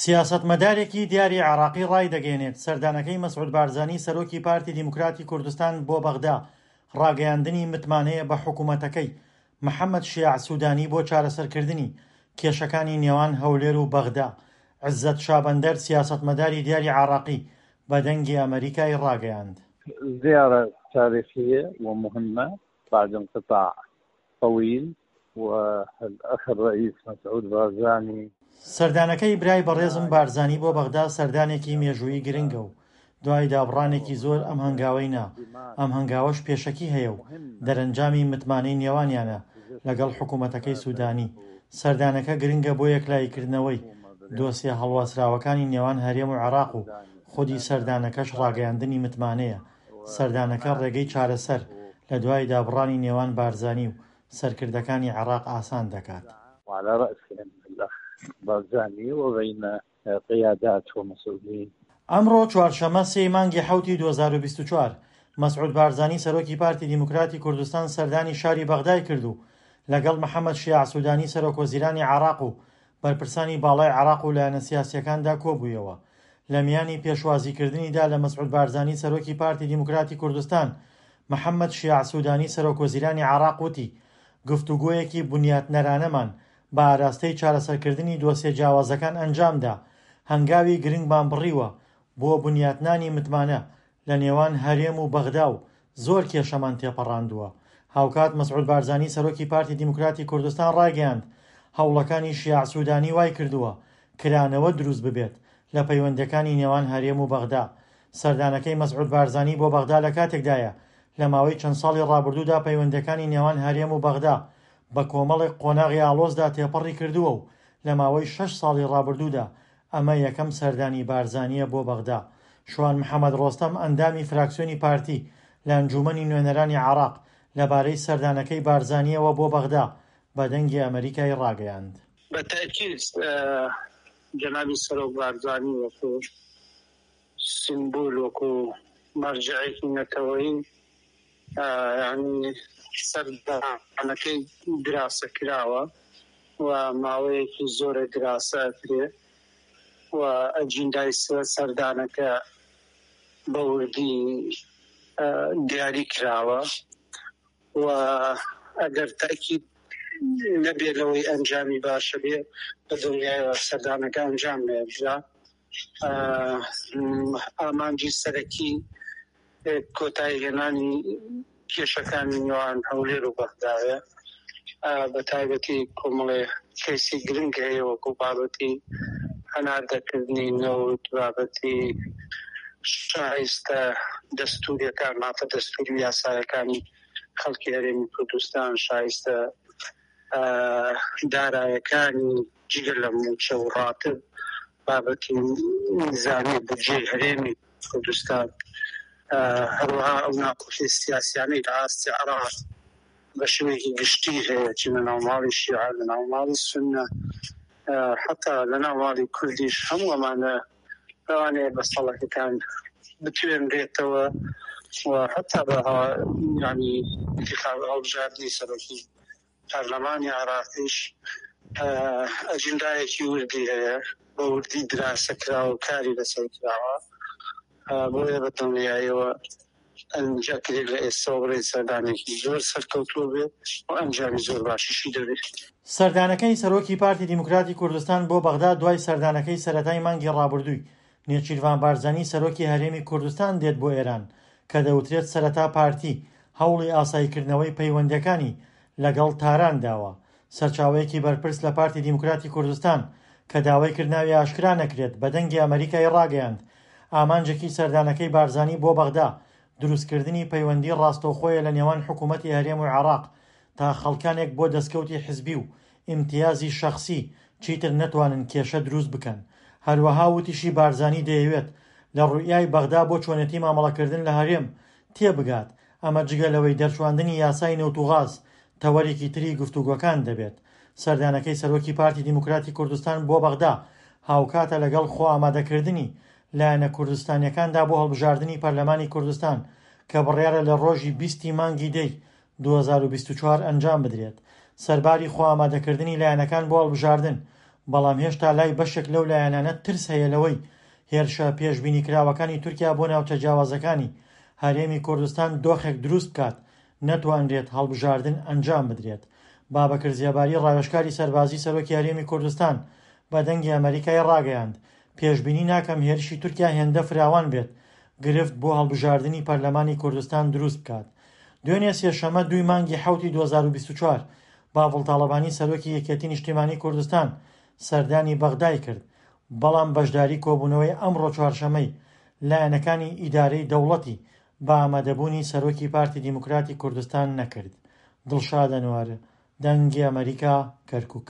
سیاسەتمەدارێکی دیاری عێراقی ڕایدەگەیەنێت، سەردانەکەی مەسعود بارزانی سەرۆکی پارتی دیموکراتی کوردستان بۆ بەغدا ڕاگەیاندنی متمانەیە بە حکومەتەکەی محەمەد شیاع سودانی بۆ چارەسەرکردنی کێشەکانی نێوان هەولێر و بەغدا. عزەت شابەندەر سیاسەتمەداری دیاری عێراقی بە دەنگی ئەمەریکای ڕاگەیاند. زیارە تاریخیە و مهمە بعد انقطاع طویل و الاخ الرئیس مسعود بارزانی. سەردانەکەی برای بەڕێزم بارزانی بۆ بەغدا سەردانێکی مێژوویی گرنگە و دوای دابڕانێکی زۆر ئەم هەنگاوەی نا، ئەم هەنگاوەش پێشەکی هەیە و دەرەنجامی متمانەی نێوانیانە لەگەڵ حکومەتەکەی سودانی. سەردانەکە گرنگە بۆ یەکلاییکردنەوەی دۆسیە هەڵواسراوەکانی نێوان هەرێم و عێراق و خودی سەردانەکەش ڕاگەیاندنی متمانەیە سەردانەکە ڕێگەی چارەسەر لە دوای دابڕانی نێوان بارزانی و سەرکردەکانی عێراق ئاسان دەکات. وعلى رأسهم الأخ بارزانی وبین قیادات ومسئولین. ئەمڕۆ چوارشەممە سێی مانگی حەوتی 2024، مەسعود بارزانی سەرۆکی پارتی دیموکراتی کوردستان سەردانی شاری بەغدای کرد و لەگەڵ محەمەد شیاع سودانی سەرۆکوەزیرانی عێراق و بەرپرسانی باڵای عێراق و لایەنە سیاسییەکاندا کۆبوویەوە. لە میانی پێشوازیکردنیدا لە مەسعود بارزانی سەرۆکی پارتی دیموکراتی کوردستان، محەمەد شیاع سودانی سەرۆکوەزیرانی عێراق وتی، گفتوگۆیەکی بنیاتنەرانەمان بە ئاراستەی چارەسەرکردنی دۆسیە جیاوازەکان ئەنجامدا، هەنگاوی گرنگمان بڕیوە بۆ بنیاتنانی متمانە لە نێوان هەرێم و بەغدا و زۆر کێشەمان تێپەڕاندووە. هاوکات مەسعود بارزانی سەرۆکی پارتی دیموکراتی کوردستان ڕایگەیاند، هەوڵەکانی شیاع سودانی وایکردووە کرانەوە دروست ببێت لە پەیوەندییەکانی نێوان هەرێم و بەغدا. سەردانەکەی مەسعود بارزانی بۆ بەغدا لە کاتێکدایە لە ماوەی چەند ساڵی ڕابردوودا پەیوەندییەکانی نێوان هەرێم و بەغدا بە کۆمەڵێک قۆناغی ئاڵۆزدا تێپەڕی کردووە و لە ماوەی شەش ساڵی ڕابردوودا ئەمە یەکەم سەردانی بارزانییە بۆ بەغدا. شوان محەمەد ڕۆستەم ئەندامی فراکسیۆنی پارتی لە ئەنجوومەنی نوێنەرانی عێراق لەبارەی سەردانەکەی بارزانییەوە بۆ بەغدا بە دەنگی ئەمەریکای ڕاگەیاند. بە تەئکید جەنابی سەرۆک بارزانی وەکو سیمبول، وەکو مەرجەعێکی نەتەوەیی یانی سەردانەکەی دراسە کراوە و ماوەیەکی زۆرە دراسە ئەکرێ و ئەجیندای سەردانەکە بە وردی دیاری کراوە و ئەگەر تەئکید نەبێ لەوەی ئەنجامی باشە بێ بە دڵنیایەوە سەردانەکە ئەنجام نەدرا. ئامانجی سەرەکی کۆتایی هێنانی کێشەکانی نێوان هەولێر و بەغدایە، بە تایبەتی کۆمەڵێ کەیسی گرنگ هەیە وەکو بابەتی هەناردەکردنی نەوت، بابەتی شایستە دەستوریەکان، مافە دەستوری و یاسایەکانی خەڵکی هەرێمی کوردستان، شایستە دارایەکانی جگە لە مووچە و ڕاتب، بابەتی نیزامی بودجەی هەرێمی کوردستان، هەروەها ئەو ناکۆکی سیاسیانەی لە ئاستی عێراق بە شێوەیەکی گشتی هەیە، چ لە ناو ماڵی شیعە، لە ناو ماڵی سوننە، حەتا لە ناو ماڵی کوردیش، هەموو ئەمانە لەوانەیە بە سەڵەکەکان بتوێنرێتەوە و حەتا بە یانی ئینتیخاب هەڵبژاردنی سەرۆکی پەرلەمانی عێراقیش ئەجندایەکی وردی هەیە، بە وردی دراسە کراوە و کاری لەسەر کراوە، بۆیە بە دڵنیاییەوە ئەکرێت لە ئێستەوە بڵێین سەردانێکی زۆر سەرکەوتوو بێت و ئەنجامی زۆر باشیشی دەبێت. سەردانەکەی سەرۆکی پارتی دیموکراتی کوردستان بۆ بەغدا دوای سەردانەکەی سەرەتای مانگی ڕابردووی نێچیرڤان بارزانی سەرۆکی هەرێمی کوردستان دێت بۆ ئێران کە دەوترێت سەرەتا پارتی هەوڵی ئاساییکردنەوەی پەیوەندییەکانی لەگەڵ تاران داوە. سەرچاوەیەکی بەرپرس لە پارتی دیموکراتی کوردستان کە داوای کرد ناوی ئاشکرا نەکرێت بە دەنگی ئەمەریکای ڕاگەیاند ئامانجێکی سەردانەکەی بارزانی بۆ بەغدا دروستکردنی پەیوەندی ڕاستەوخۆیە لە نێوان حکومەتی هەرێم و عێراق تا خەڵکانێک بۆ دەستکەوتی حزبی و ئیمتیازی شەخسی چیتر نەتوانن کێشە دروست بکەن. هەروەها وتیشی بارزانی دەیەوێت لە ڕوئیای بەغدا بۆ چۆنێتی مامەڵەکردن لە هەرێم تێبگات، ئەمە جگە لەوەی دەرچواندنی یاسای نەوت و غاز تەوەرێکی تری گفتوگۆکان دەبێت. سەردانەکەی سەرۆکی پارتی دیموکراتی کوردستان بۆ بەغدا هاوکاتە لەگەڵ خۆئامادەکردنی لایەنە کوردستانیەکاندا بۆ هەڵبژاردنی پەرلەمانی کوردستان کە بڕیارە لە ڕۆژی 20 ی مانگی دەی 2024 ئەنجام بدرێت. سەرباری خۆئامادەکردنی لایەنەکان بۆ هەڵبژاردن. بەڵام هێشتا لای بەشێک لەو لایەنانە ترس هەیە لەوەی هێرشە پێشبینیکراوەکانی تورکیا بۆ ناوچە جیاوازەکانی هەرێمی کوردستان دۆخێک دروست بکات نەتوانرێت هەڵبژاردن ئەنجام بدرێت. بابەکر زێباری ڕاوێژکاری سەربازی سەرۆکی هەرێمی کوردستان بە دەنگی ئەمەریکای ڕاگەیاند، پێشبینی ناکەم هێرشی تورکیا هێندە فراوان بێت گرفت بۆ هەڵبژاردنی پەرلەمانی کوردستان دروست بکات. دوێنێ سێشەممە دووی مانگی حەوتی 2024 باڤڵ تاڵەبانی سەرۆکی یەکێتی نیشتیمانی کوردستان سەردانی بەغدای کرد، بەڵام بەشداری کۆبوونەوەی ئەمڕۆ چوارشەممەی لایەنەکانی ئیدارەی دەوڵەتی بە ئامادەبوونی سەرۆکی پارتی دیموکراتی کوردستان نەکرد. دڵشاد ئەنوەر، دەنگی ئەمەریکا، کەرکوک.